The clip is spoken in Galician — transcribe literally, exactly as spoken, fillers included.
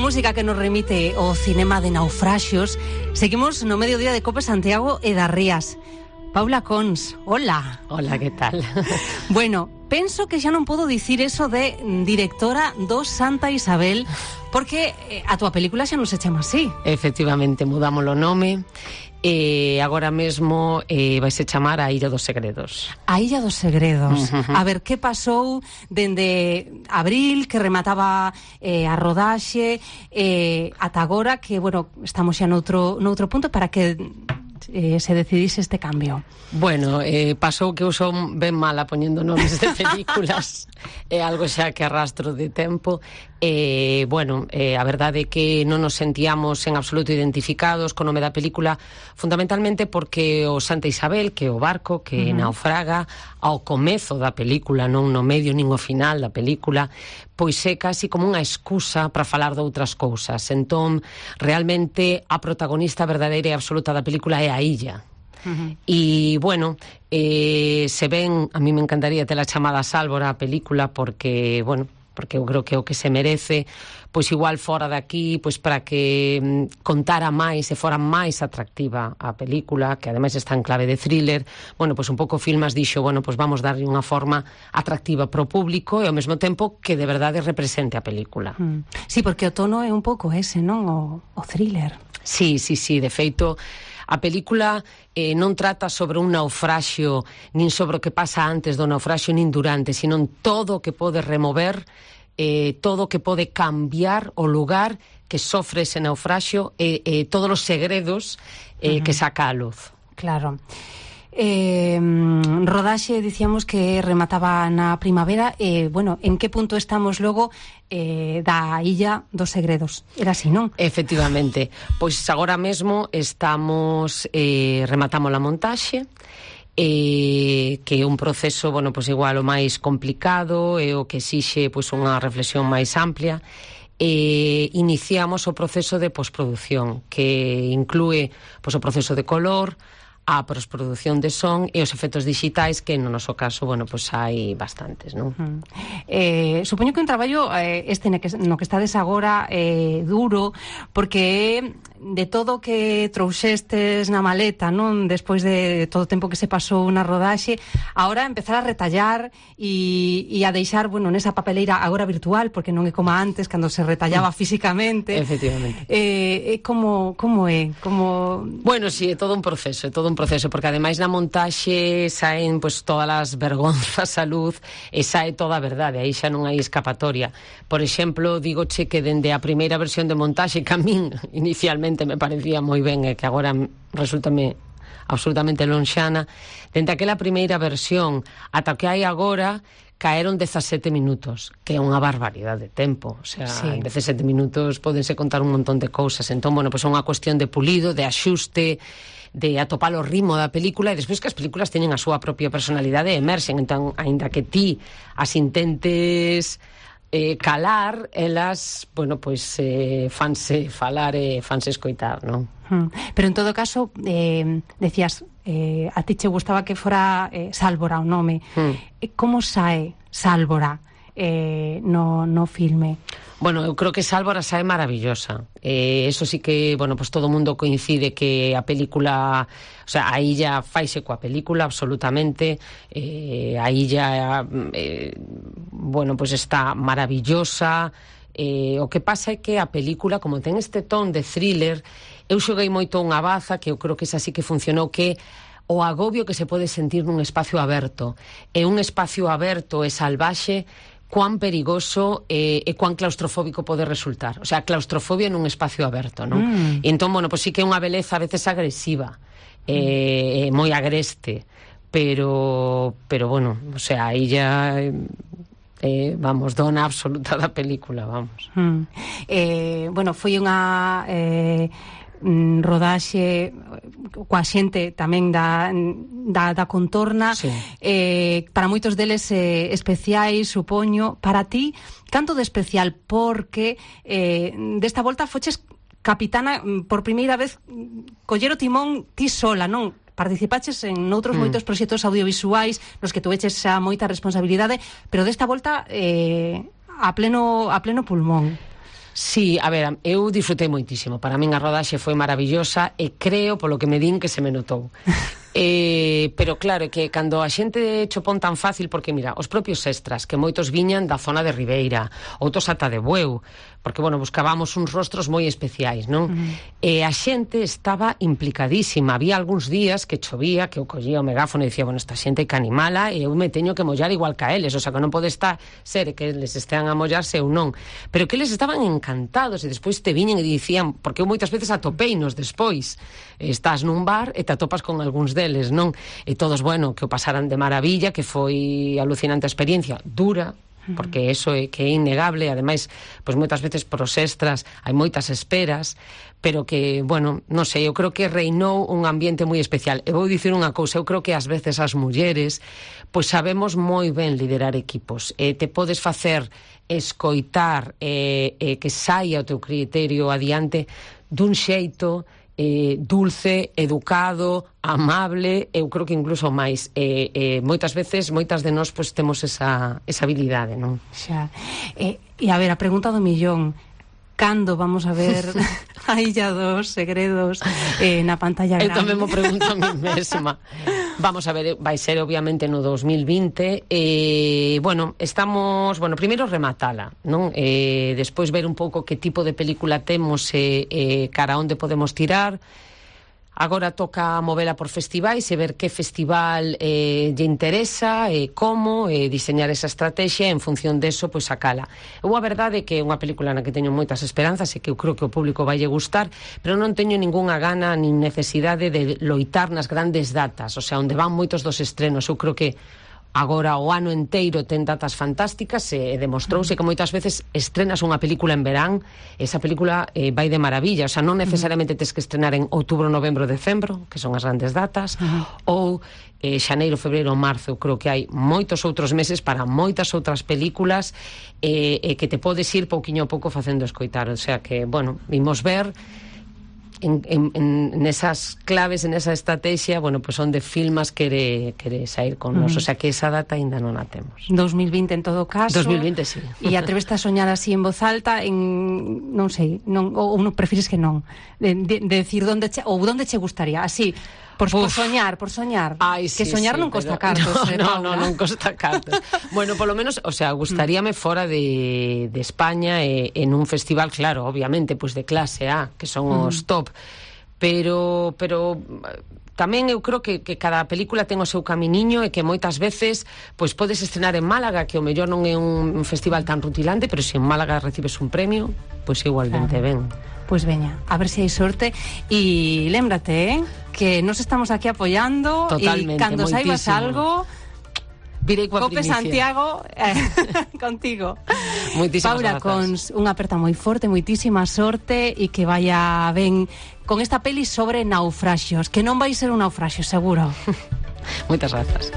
música que nos remite ao cinema de naufraxios, seguimos no mediodía de Cope Santiago e das Rías. Paula Cons, hola. Hola, que tal? Bueno, penso que xa non podo dicir eso de directora do Santa Isabel, porque a túa película xa non se chama así. Efectivamente, mudamos o nome e agora mesmo eh, vai se chamar A Illa dos Segredos. A Illa dos Segredos. Uh-huh. A ver, que pasou dende abril, que remataba eh, a rodaxe, eh, ata agora, que, bueno, estamos xa noutro, noutro punto para que eh, se decidise este cambio. Bueno, eh, pasou que eu son ben mala poñendo nomes de películas. É algo xa que arrastro de tempo. Eh, bueno, eh, a verdade é que non nos sentíamos en absoluto identificados co nome da película, fundamentalmente porque o Santa Isabel, que é o barco que uh-huh. naufraga ao comezo da película, non no medio nin ao final da película, pois é casi como unha excusa para falar de outras cousas. Entón, realmente a protagonista verdadeira e absoluta da película é a illa. Uh-huh. E, bueno, eh, se ven, a mí me encantaría tela chamada Sálvora a película, porque, bueno, porque eu creo que é o que se merece, pois igual fora daqui, pois para que mm, contara máis e fora máis atractiva a película, que ademais está en clave de thriller. Bueno, pois un pouco Filmas dixo, bueno, pois vamos darlle unha forma atractiva pro público e ao mesmo tempo que de verdade represente a película. Mm. Sí, porque o tono é un pouco ese, non? O, o thriller. Sí, sí, sí, de feito, a película eh, non trata sobre un naufraxio, nin sobre o que pasa antes do naufraxio, nin durante, sino todo o que pode remover, eh, todo o que pode cambiar o lugar que sofre ese naufraxio e eh, eh, todos os segredos eh, uh-huh. que saca a luz. Claro. Eh, rodaxe, dicíamos que remataba na primavera. Eh, bueno, en que punto estamos logo eh, da Illa dos Segredos? Era así, non? Efectivamente. Pois agora mesmo estamos eh, rematamos a montaxe, eh, que é un proceso, bueno, pois igual o máis complicado e o que exixe pois unha reflexión máis amplia. E iniciamos o proceso de posproducción, que inclúe pois o proceso de color, a posproducción de son e os efectos digitais, que no noso caso, bueno, pois hai bastantes, non? Uh-huh. Eh, supoño que un traballo eh, este no que, no que estades agora eh, duro, porque de todo o que trouxestes na maleta, non? Despois de todo o tempo que se pasou na rodaxe, agora empezar a retallar e, e a deixar, bueno, nesa papeleira agora virtual, porque non é como antes, cando se retallaba mm. físicamente. Efectivamente. Eh, como, como é? Como... Bueno, sí, é todo un proceso, é todo un proceso, porque ademais na montaxe saen pois todas as vergonzas a luz e sae toda a verdade, aí xa non hai escapatoria. Por exemplo, digoche que dende a primeira versión de montaxe, que a min inicialmente me parecía moi ben e que agora resultame absolutamente lonxana, dende aquela primeira versión ata que hai agora caeron dezasete minutos, que é unha barbaridade de tempo. O sea, sí. En dezasete minutos podense contar un montón de cousas. Entón, bueno, pois é unha cuestión de pulido, de axuste, de atopar o ritmo da película, e despois que as películas teñen a súa propia personalidade e emerxen. Entón, aínda que ti as intentes eh, calar, elas, bueno, pois eh, fanse falar e fanse escoitar, non? Hmm. Pero en todo caso, eh, decías, eh, a ti che gustaba que fora eh, Sálvora o nome. Hmm. Como sae Sálvora eh, no, no filme? Bueno, eu creo que Sálvora sae maravillosa. Eh, eso sí que, bueno, pues todo o mundo coincide que a película, o sea, a illa faise coa película absolutamente. Eh, a illa, eh, bueno, pues está maravillosa. Eh, o que pasa é que a película, como ten este ton de thriller, eu xoguei moito unha baza que eu creo que esa sí que funcionou, que o agobio que se pode sentir nun espacio aberto. E un espacio aberto e salvaxe, cuán perigoso e, e cuán claustrofóbico pode resultar. O sea, claustrofobia nun espacio aberto, non? Mm. E entón, bueno, pois sí que é unha beleza a veces agresiva, e, mm. moi agreste, pero, pero bueno, o sea, aí ya... Eh, vamos, dona absoluta da película, vamos. Mm. Eh, bueno, foi unha eh, rodaxe coa xente tamén da, da, da contorna, sí. eh, para moitos deles eh, especiais, supoño. Para ti, canto de especial? Porque eh, desta volta foches capitana por primeira vez, coller o timón ti sola, non? Participaches en outros mm. moitos proxectos audiovisuais nos que tuveches xa moita responsabilidade, pero desta volta eh, a pleno a pleno pulmón. Sí, a ver, eu disfrutei moitísimo. Para min a rodaxe foi maravillosa e creo, polo que me din, que se me notou. Eh, pero claro, que cando a xente chopón tan fácil, porque mira, os propios extras, que moitos viñan da zona de Ribeira, outros ata de Bueu, porque, bueno, buscábamos uns rostros moi especiais, non? Uh-huh. E a xente estaba implicadísima. Había algúns días que chovía, que eu collía o megáfono e dicía, bueno, esta xente hai que animala e eu me teño que mollar igual que a eles, o sea, que non pode estar ser que eles estean a mollarse ou non. Pero que eles estaban encantados e despois te viñen e dicían, porque eu moitas veces atopeinos despois, estás nun bar e te atopas con algúns deles, non? E todos, bueno, que o pasaran de maravilla, que foi alucinante a experiencia, dura, porque eso é que é innegable, ademais, pois moitas veces pros extras hai moitas esperas, pero que, bueno, non sei, eu creo que reinou un ambiente moi especial. E vou dicir unha cousa, eu creo que ás veces as mulleres pois sabemos moi ben liderar equipos, e te podes facer escoitar e, e que saia o teu criterio adiante dun xeito Eh, dulce, educado, amable, eu creo que incluso máis. Eh, eh, moitas veces, moitas de nós pois, temos esa, esa habilidade, non? Xa. E, e a ver, a pregunta do millón, cando vamos a ver a Illa dos Segredos eh, na pantalla grande? Eu tamén mo pregunto a mí mesma. Vamos a ver, vai ser obviamente no dos mil vinte e, eh, bueno, estamos, bueno, primeiro rematala, non? Eh, despois ver un pouco que tipo de película temos e eh, eh, cara onde podemos tirar. Agora toca movela por festivais e ver que festival eh, lle interesa e eh, como, e eh, diseñar esa estrategia en función deso, pois sacala. Eu a verdade é que é unha película na que teño moitas esperanzas e que eu creo que o público vaille gustar, pero non teño ningunha gana nin necesidade de loitar nas grandes datas, o sea, onde van moitos dos estrenos. Eu creo que agora o ano enteiro ten datas fantásticas e demostrouse que moitas veces estrenas unha película en verán, esa película eh, vai de maravilla, o sea, non necesariamente tes que estrenar en outubro, novembro, decembro, que son as grandes datas, uh-huh. ou eh, xaneiro, febreiro, marzo. Eu creo que hai moitos outros meses para moitas outras películas eh, eh, que te podes ir pouquiño a pouco facendo escoitar, o sea que, bueno, vimos ver En, en, en esas claves, en esa estrategia, bueno, pues onde filmas quere, quere sair con nos, mm. o sea que esa data ainda non a temos. dos mil vinte en todo caso. dos mil vinte, sí. E atreveste a soñar así en voz alta, en, non sei, non, ou non prefires que non, de, de, de decir onde che, ou onde che gustaría, así, por, por soñar, por soñar. Ay, que sí, soñar sí, non costa pero, cartos, no, eh, no, Paula. no, non costa cartos. Bueno, polo menos, o sea, gustaríame fora de, de España e, en un festival, claro, obviamente, pues de clase A, que son mm. os top. Pero, pero tamén eu creo que, que cada película ten o seu caminiño e que moitas veces pois podes estrenar en Málaga, que o mellor non é un festival tan rutilante, pero se en Málaga recibes un premio, pois igualmente claro. Ben. Pois veña, a ver se hai sorte. E lémbrate, eh, que nos estamos aquí apoyando. Totalmente, e cando moitísimo. saibas algo, virei coa Cope primicia. Santiago eh, contigo. Moitísimas Paula, grazas. con unha aperta moi forte, moitísima sorte e que vaya ben con esta peli sobre naufraxios, que non vai ser un naufraxio, seguro. Moitas grazas.